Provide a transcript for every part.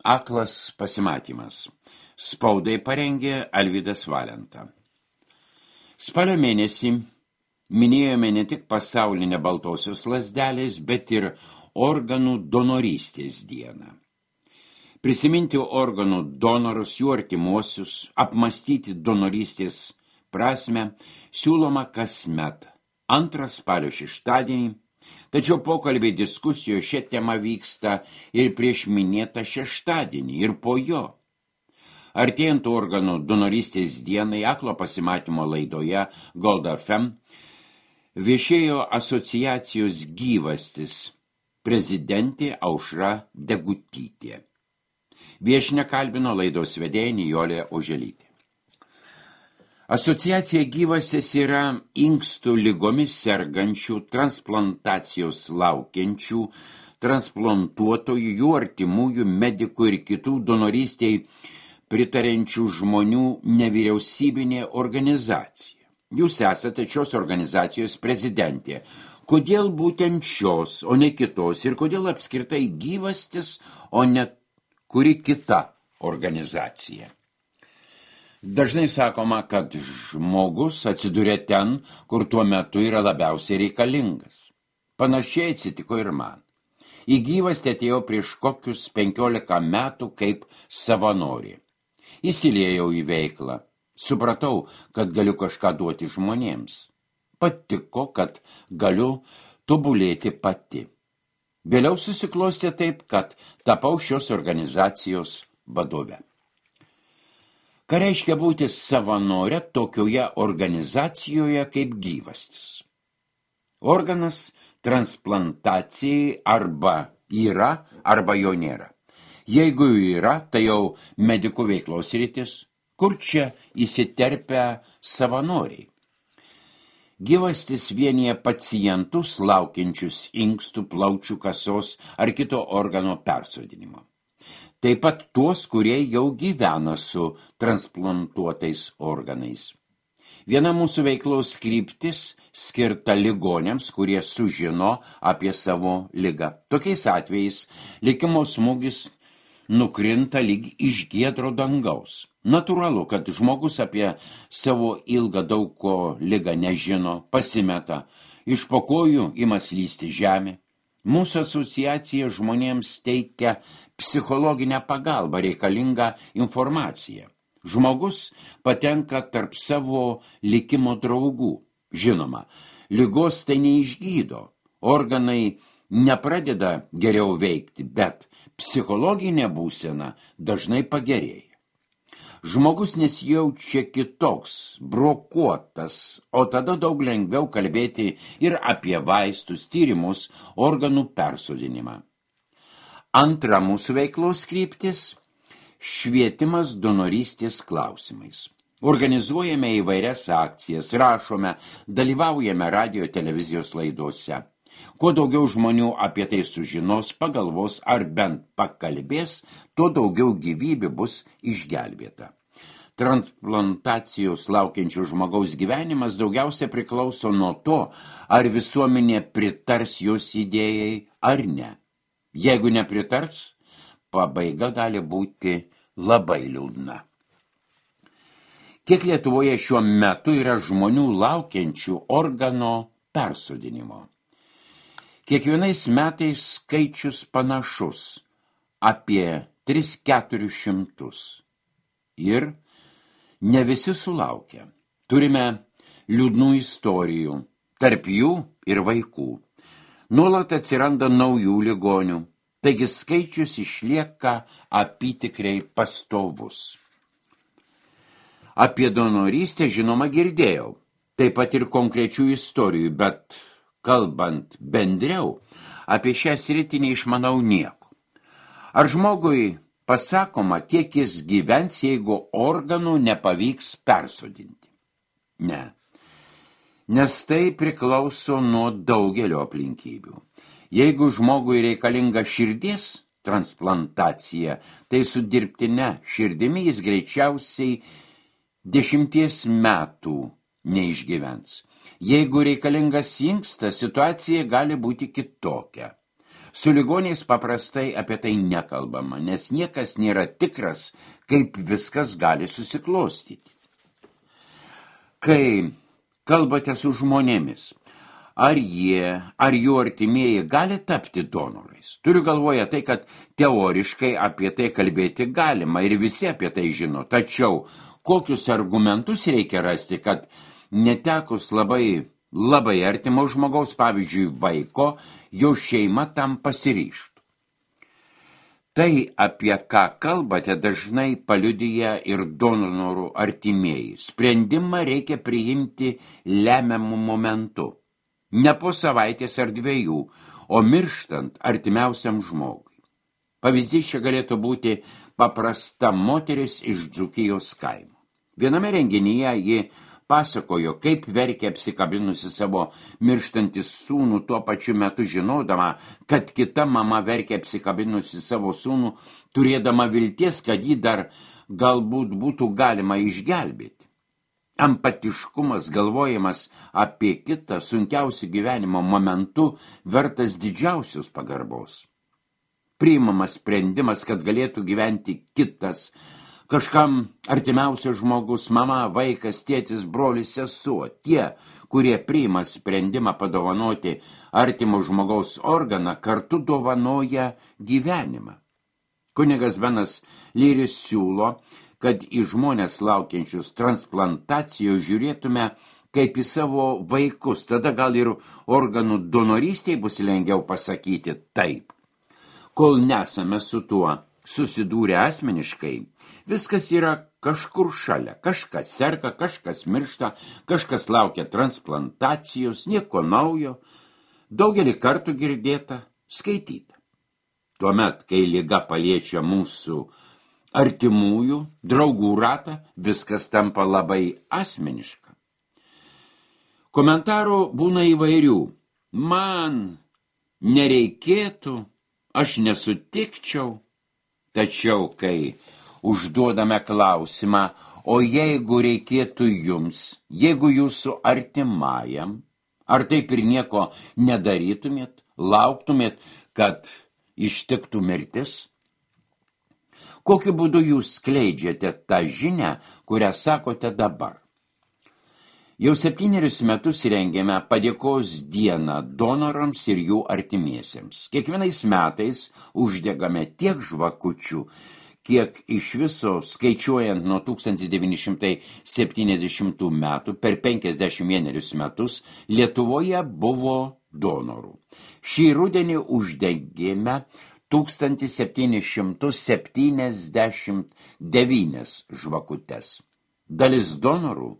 Aklas pasimatymas. Spaudai parengė Alvydas Valenta. Spalio mėnesį minėjome ne tik pasaulinę baltosios lazdelės, bet ir organų donorystės dieną. Prisiminti organų donorus, jų artimuosius, apmąstyti donorystės prasme siūloma kasmet 2 spalio šeštadienį, tačiau pokalbiai diskusijos šią temą vyksta ir prieš minėtą šeštadienį, ir po jo. Artėjant organų donorystės dienai Aklo pasimatymo laidoje Gold FM viešėjo asociacijos Gyvastis prezidentė Aušra Degutytė. Viešnią kalbino laidos vedėja Nijolė Oželytė. Asociacija Gyvastis yra inkstų ligomis sergančių, transplantacijos laukiančių, transplantuotojų, jų artimųjų, medikų ir kitų donorystei pritarenčių žmonių nevyriausybinė organizacija. Jūs esate šios organizacijos prezidentė. Kodėl būtent šios, o ne kitos, ir kodėl apskritai Gyvastis, o ne kuri kita organizacija? Dažnai sakoma, kad žmogus atsiduria ten, kur tuo metu yra labiausiai reikalingas. Panašiai atsitiko ir man. Į Gyvastį atėjau prieš kokius 15 metų kaip savanorė. Įsiliejau į veiklą. Supratau, kad galiu kažką duoti žmonėms. Patiko, kad galiu tobulėti pati. Vėliau susiklostė taip, kad tapau šios organizacijos vadove. Ką reiškia būti savanorė tokioje organizacijoje kaip Gyvastis? Organas transplantacijai arba yra, arba jo nėra. Jeigu yra, tai jau medikų veiklos sritis, kur čia įsiterpia savanoriai. Gyvastis vienyje pacientus laukiančius inkstų, plaučių, kasos ar kito organo persodinimo. Taip pat tuos, kurie jau gyvena su transplantuotais organais. Viena mūsų veiklos kryptis skirta ligoniams, kurie sužino apie savo ligą. Tokiais atvejais likimo smūgis nukrinta lyg iš giedro dangaus. Natūralu, kad žmogus apie savo ilgą daug ko ligą nežino, pasimeta, iš po kojų ima slysti žemė. Mūsų asociacija žmonėms teikia psichologinę pagalbą, reikalingą informaciją. Žmogus patenka tarp savo likimo draugų. Žinoma, ligos tai neišgydo, organai nepradeda geriau veikti, bet psichologinė būsena dažnai pagerėja. Žmogus nesijaučia kitoks, brokuotas, o tada daug lengviau kalbėti ir apie vaistus, tyrimus, organų persodinimą. Antra mūsų veiklos kryptis – švietimas donorystės klausimais. Organizuojame įvairias akcijas, rašome, dalyvaujame radio televizijos laidose. Kuo daugiau žmonių apie tai sužinos, pagalvos ar bent pakalbės, tuo daugiau gyvybių bus išgelbėta. Transplantacijos laukiančių žmogaus gyvenimas daugiausia priklauso nuo to, ar visuomenė pritars jos idėjai ar ne. Jeigu nepritars, pabaiga gali būti labai liūdna. Kiek Lietuvoje šiuo metu yra žmonių laukiančių organo persodinimo? Kiekvienais metais skaičius panašus – apie 300–400. Ir ne visi sulaukia. Turime liūdnų istorijų, tarp jų ir vaikų. Nuolat atsiranda naujų ligonių, taigi skaičius išlieka apytikriai pastovus. Apie donorystę žinoma girdėjau, taip pat ir konkrečių istorijų, bet kalbant bendriau, apie šią sritį neišmanau nieko. Ar žmogui pasakoma, kiek jis gyvens, jeigu organų nepavyks persodinti? Ne, nes tai priklauso nuo daugelio aplinkybių. Jeigu žmogui reikalinga širdies transplantacija, tai su dirbtine širdimi jis greičiausiai 10 metų neišgyvens. Jeigu reikalingas inkstas, situacija gali būti kitokia. Su ligoniais paprastai apie tai nekalbama, nes niekas nėra tikras, kaip viskas gali susiklostyti. Kai kalbate su žmonėmis, ar jų artimieji gali tapti donorais? Turiu galvoje tai, kad teoriškai apie tai kalbėti galima ir visi apie tai žino. Tačiau kokius argumentus reikia rasti, kad netekus labai artimo žmogaus, pavyzdžiui, vaiko, jo šeima tam pasiryžtų? Tai, apie ką kalbate, dažnai paliudija ir donorų artimieji. Sprendimą reikia priimti lemiamu momentu. Ne po savaitės ar 2, o mirštant artimiausiam žmogui. Pavyzdys čia galėtų būti paprasta moteris iš Dzūkijos kaimo. Viename renginyje ji pasakojo, kaip verkė apsikabinusi savo mirštantį sūnų, tuo pačiu metu žinodama, kad kita mama verkė apsikabinusi savo sūnų, turėdama vilties, kad jį dar galbūt būtų galima išgelbėti. Empatiškumas, galvojimas apie kitą sunkiausių gyvenimo momentų vertas didžiausios pagarbos. Priimamas sprendimas, kad galėtų gyventi kitas, kažkam artimiausias žmogus, mama, vaikas, tėtis, brolis, sesuo, tie, kurie priima sprendimą padovanoti artimo žmogaus organą, kartu dovanoja gyvenimą. Kunigas Benas Lyris siūlo, kad į žmonės laukiančius transplantacijos žiūrėtume kaip į savo vaikus, tada gal ir organų donorystėje bus lengviau pasakyti taip. Kol nesame su tuo susidūrę asmeniškai, viskas yra kažkur šalia, kažkas serga, kažkas miršta, kažkas laukia transplantacijos, nieko naujo, daugelį kartų girdėta, skaityta. Tuomet, kai liga paliečia mūsų artimųjų, draugų ratą, viskas tampa labai asmeniška. Komentarų būna įvairių. Man nereikėtų, aš nesutikčiau. Tačiau, kai užduodame klausimą, o jeigu reikėtų jums, jeigu jūsų artimajam, ar taip ir nieko nedarytumėt, lauktumėt, kad ištiktų mirtis? Kokiu būdu jūs skleidžiate tą žinią, kurią sakote dabar? Jau 7 metus rengiame padėkos dieną donorams ir jų artimiesiems. Kiekvienais metais uždegame tiek žvakučių, kiek iš viso skaičiuojant nuo 1970 metų per 51 metus Lietuvoje buvo donorų. Šį rudenį uždegėme 1779 žvakutes. Dalis donorų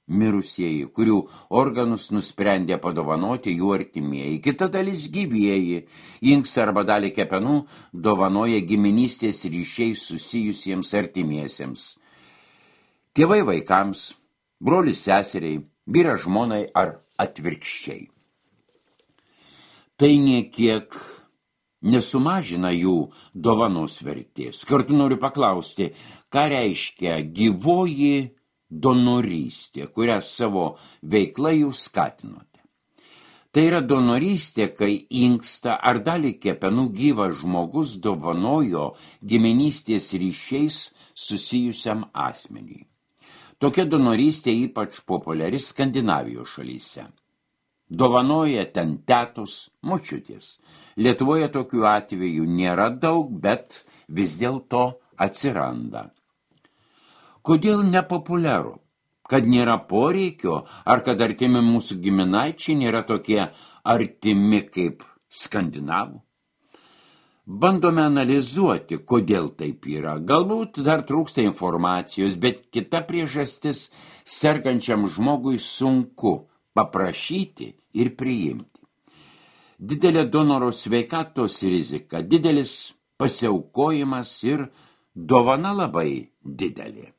mirusieji, kurių organus nusprendė padovanoti jų artimieji. Kita dalis gyvieji, inksą arba dalį kepenų dovanoja giminystės ryšiais susijusiems artimiesiems. Tėvai vaikams, brolis seseriai, vyras žmonai ar atvirkščiai. Tai niekiek nesumažina jų dovanos vertės. Kartu noriu paklausti, ką reiškia gyvoji donorystė, kurią savo veiklą jūs skatinote. Tai yra donorystė, kai inkstą ar dalį kepenų gyvas žmogus dovanojo giminystės ryšiais susijusiam asmeniui. Tokia donorystė ypač populiari Skandinavijos šalyse. Dovanoja ten tetos, močiutės. Lietuvoje tokių atvejų nėra daug, bet vis dėlto atsiranda. Kodėl nepopuliaru? Kad nėra poreikio, ar kad artimi mūsų giminaičiai nėra tokie artimi kaip skandinavų? Bandome analizuoti, kodėl taip yra. Galbūt dar trūksta informacijos, bet kita priežastis sergančiam žmogui sunku paprašyti ir priimti. Didelė donoro sveikatos rizika, didelis pasiaukojimas ir dovana labai didelė.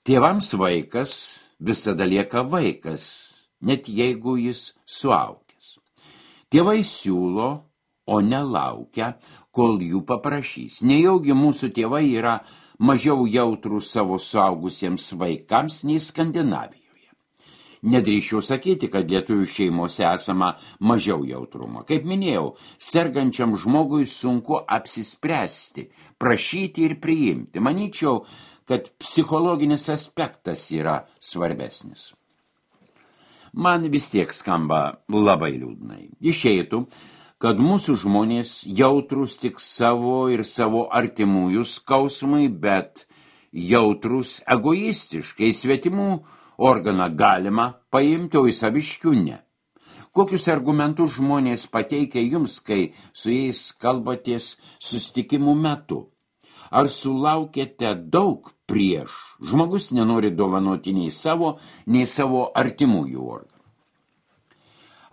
Tėvams vaikas visada lieka vaikas, net jeigu jis suaugęs. Tėvai siūlo, o nelaukia, kol jų paprašys. Nejaugi mūsų tėvai yra mažiau jautrūs savo suaugusiems vaikams nei Skandinavijoje. Nedrįščiau sakyti, kad lietuvių šeimose esama mažiau jautrumo. Kaip minėjau, sergančiam žmogui sunku apsispręsti, prašyti ir priimti. Manyčiau, kad psichologinis aspektas yra svarbesnis. Man vis tiek skamba labai liūdnai. Išeitų, kad mūsų žmonės jautrus tik savo ir savo artimųjų skausmui, bet jautrus egoistiškai svetimų organą galima paimti, o į saviškių ne. Kokius argumentus žmonės pateikia jums, kai su jais kalbatės susitikimų metu? Ar sulaukėte daug prieš? Žmogus nenori dovanoti nei savo artimųjų organų.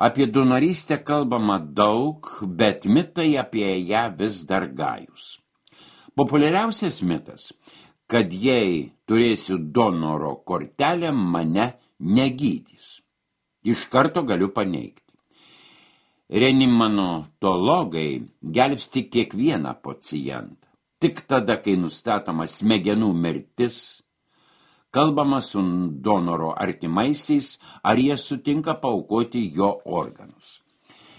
Apie donorystę kalbama daug, bet mitai apie ją vis dar gajus. Populiariausias mitas, kad jei turėsiu donoro kortelę, mane negydys. Iš karto galiu paneigti. Reanimatologai gelbsti kiekvieną pacientą. Tik tada, kai nustatoma smegenų mirtis, kalbama su donoro artimaisiais, ar jie sutinka paaukoti jo organus.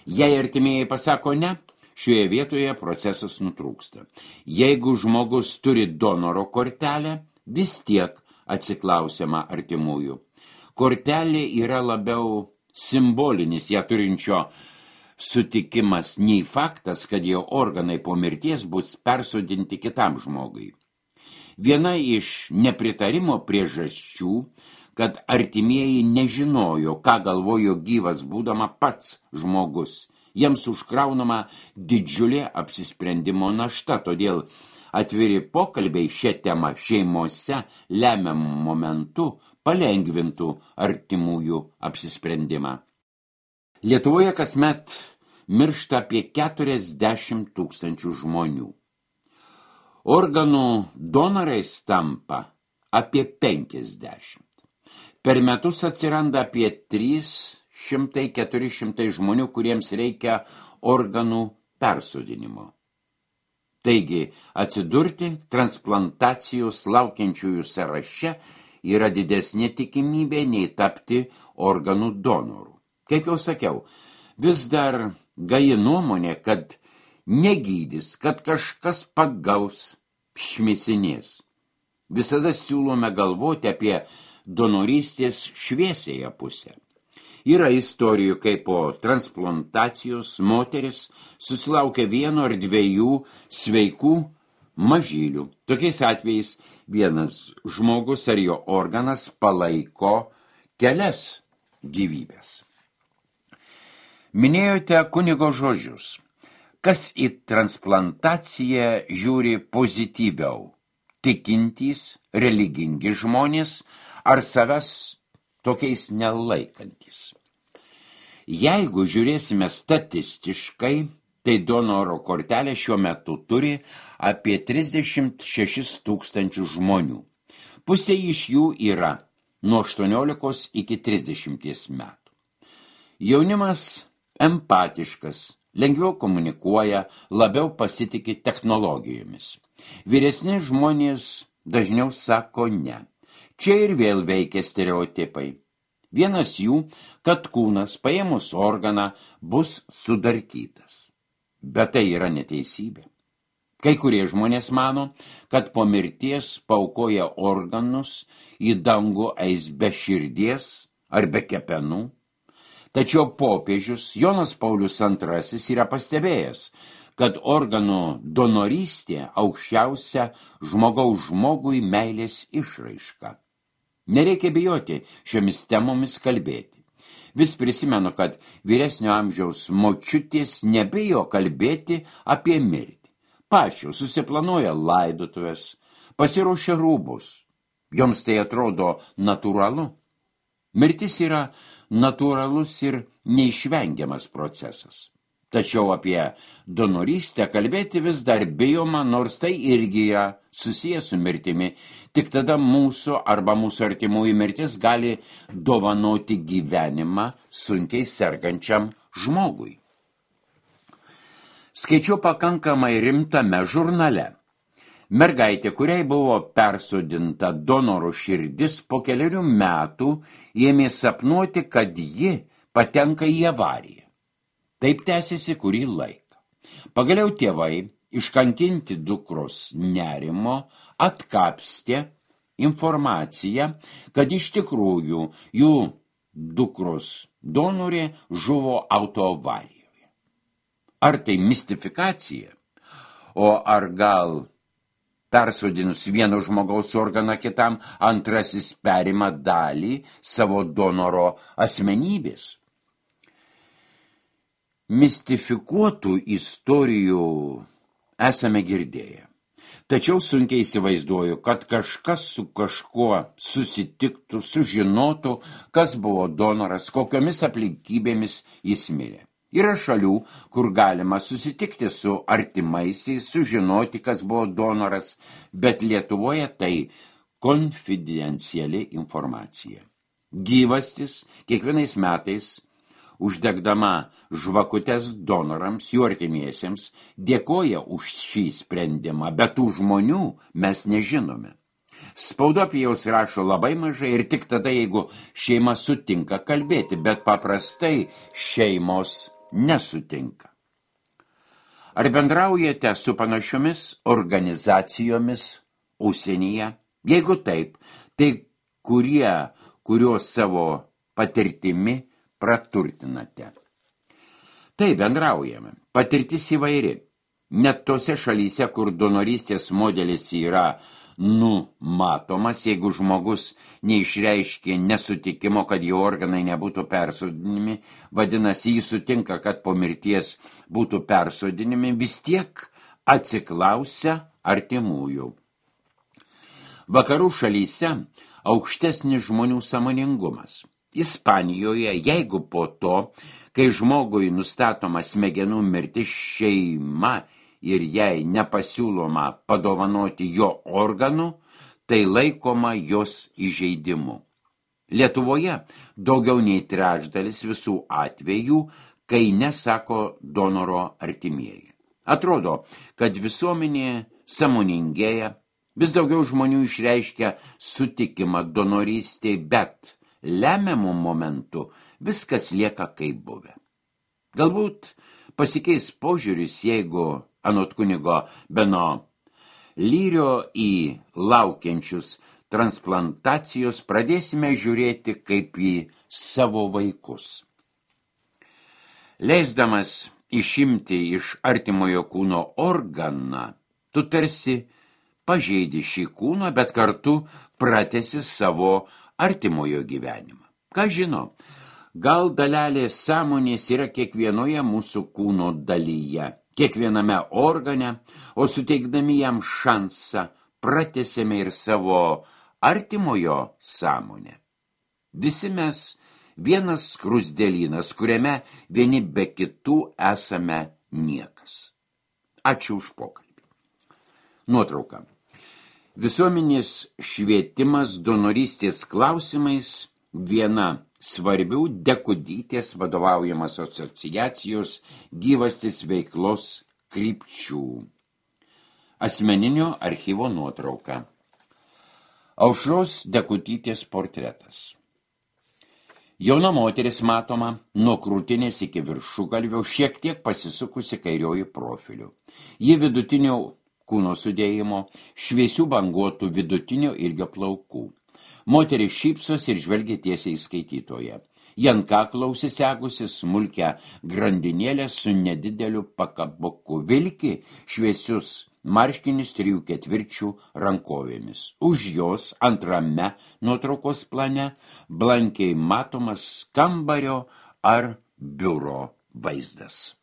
Jei artimieji pasako ne, šioje vietoje procesas nutrūksta. Jeigu žmogus turi donoro kortelę, vis tiek atsiklausiama artimųjų. Kortelė yra labiau simbolinis ją turinčio sutikimas nei faktas, kad jo organai po mirties bus persodinti kitam žmogui. Viena iš nepritarimo priežasčių, kad artimieji nežinojo, ką galvojo gyvas būdama pats žmogus. Jiems užkraunama didžiulė apsisprendimo našta, todėl atviri pokalbiai šią temą šeimose lemiamų momentų palengvintų artimųjų apsisprendimą. Lietuvoje kasmet miršta apie 40 000 žmonių. Organų donorais tampa apie 50. Per metus atsiranda apie 300–400 žmonių, kuriems reikia organų persodinimo. Taigi, atsidurti transplantacijos laukiančiųjų sąraše yra didesnė tikimybė nei tapti organų donorų. Kaip jau sakiau, vis dar gaji nuomonė, kad negydys, kad kažkas pagaus, šmisinės. Visada siūlome galvoti apie donorystės šviesiąją pusę. Yra istorijų, kai po transplantacijos moteris susilaukia 1 ar 2 sveikų mažylių. Tokiais atvejais vienas žmogus ar jo organas palaiko kelias gyvybės. Minėjote kunigo žodžius. Kas į transplantaciją žiūri pozityviau? Tikintys, religingi žmonės ar savęs tokiais nelaikantis? Jeigu žiūrėsime statistiškai, tai donoro kortelė šiuo metu turi apie 36 000 žmonių. Pusė iš jų yra nuo 18 iki 30 metų. Jaunimas empatiškas, lengviau komunikuoja, labiau pasitiki technologijomis. Vyresni žmonės dažniau sako ne. Čia ir vėl veikia stereotipai. Vienas jų, kad kūnas paėmus organą bus sudarkytas. Bet tai yra neteisybė. Kai kurie žmonės mano, kad po mirties paaukoja organus, į dangų eis be širdies ar be kepenų. Tačiau popiežius Jonas Paulius II yra pastebėjęs, kad organų donorystė aukščiausia žmogaus žmogui meilės išraiška. Nereikia bijoti šiomis temomis kalbėti. Vis prisimenu, kad vyresnio amžiaus močiutės nebijo kalbėti apie mirtį. Pačios susiplanuoja laidotuves, pasiruošia rūbus. Joms tai atrodo natūralu. Mirtis yra natūralus ir neišvengiamas procesas. Tačiau apie donorystę kalbėti vis dar bijoma, nors tai irgi susijęs su mirtimi. Tik tada mūsų arba mūsų artimųjų mirtis gali dovanoti gyvenimą sunkiai sergančiam žmogui. Skaičiau pakankamai rimtame žurnale. Mergaitė, kuriai buvo persodinta donoro širdis, po 4 metų ėmė sapnuoti, kad ji patenka į avariją. Taip tęsiasi kurį laiką. Pagaliau tėvai, iškankinti dukros nerimo, atkapstė informaciją, kad iš tikrųjų jų dukros donorė žuvo autoavarijoje. Ar tai mistifikacija? O ar gal persodinus vieno žmogaus organą kitam, antrasis perima dalį savo donoro asmenybės? Mistifikuotų istorijų esame girdėję. Tačiau sunkiai įsivaizduoju, kad kažkas su kažkuo susitiktų, sužinotų, kas buvo donoras, kokiomis aplinkybėmis jis mirė. Yra šalių, kur galima susitikti su artimaisiais, sužinoti, kas buvo donoras, bet Lietuvoje tai konfidenciali informacija. Gyvastis kiekvienais metais, uždegdama žvakutes donorams, jų artimiesiems, dėkoja už šį sprendimą, bet tų žmonių mes nežinome. Spauda apie jaus rašo labai mažai ir tik tada, jeigu šeima sutinka kalbėti, bet paprastai šeimos nesutinka. Ar bendraujate su panašiomis organizacijomis užsienyje? Jeigu taip, tai kurios savo patirtimi praturtinate? Taip, bendraujame. Patirtis įvairi. Net tose šalyse, kur donorystės modelis yra numatomas, jeigu žmogus neišreiškė nesutikimo, kad jo organai nebūtų persodinimi, vadinasi, jis sutinka, kad po mirties būtų persodinimi, vis tiek atsiklausia artimųjų. Vakarų šalyse aukštesnis žmonių sąmoningumas. Ispanijoje, jeigu po to, kai žmogui nustatoma smegenų mirtis, šeima ir jai nepasiūloma padovanoti jo organų, tai laikoma jos įžeidimu. Lietuvoje daugiau nei trečdalis visų atvejų, kai nesako donoro artimieji. Atrodo, kad visuomenė sąmoningėja, vis daugiau žmonių išreiškia sutikimą donorystei, bet lemiamų momentų viskas lieka kaip buvę. Galbūt pasikeis požiūris, jeigu anot kunigo Beno Lyrio į laukiančius transplantacijos pradėsime žiūrėti kaip į savo vaikus. Leisdamas išimti iš artimojo kūno organą, tu tarsi pažeidi šį kūną, bet kartu pratęsi savo artimojo gyvenimą. Ką žino, gal dalelė sąmonės yra kiekvienoje mūsų kūno dalyje, kiekviename organe, o suteikdami jam šansą pratęsėme ir savo artimojo sąmonę. Visi mes vienas skruzdėlynas, kuriame vieni be kitų esame niekas. Ačiū už pokalbį. Nuotrauka. Visuomenės švietimas donorystės klausimais viena svarbių Dekudytės vadovaujamas asociacijos gyvastis veiklos krypčių. Asmeninio archyvo nuotrauka. Aušros Dekudytės portretas. Jauna moteris matoma nuo krūtinės iki viršugalvio, šiek tiek pasisukusi kairioju profiliu. Ji vidutinio kūno sudėjimo, šviesių banguotų vidutinio ilgio plaukų. Moteris šypsos ir žvelgia tiesiai į skaitytoją. Ji ant kaklo užsisegusi smulkią grandinėlę su nedideliu pakabuku, vilki šviesius marškinius 3/4 rankovėmis. Už jos antrame nuotraukos plane blankiai matomas kambario ar biuro vaizdas.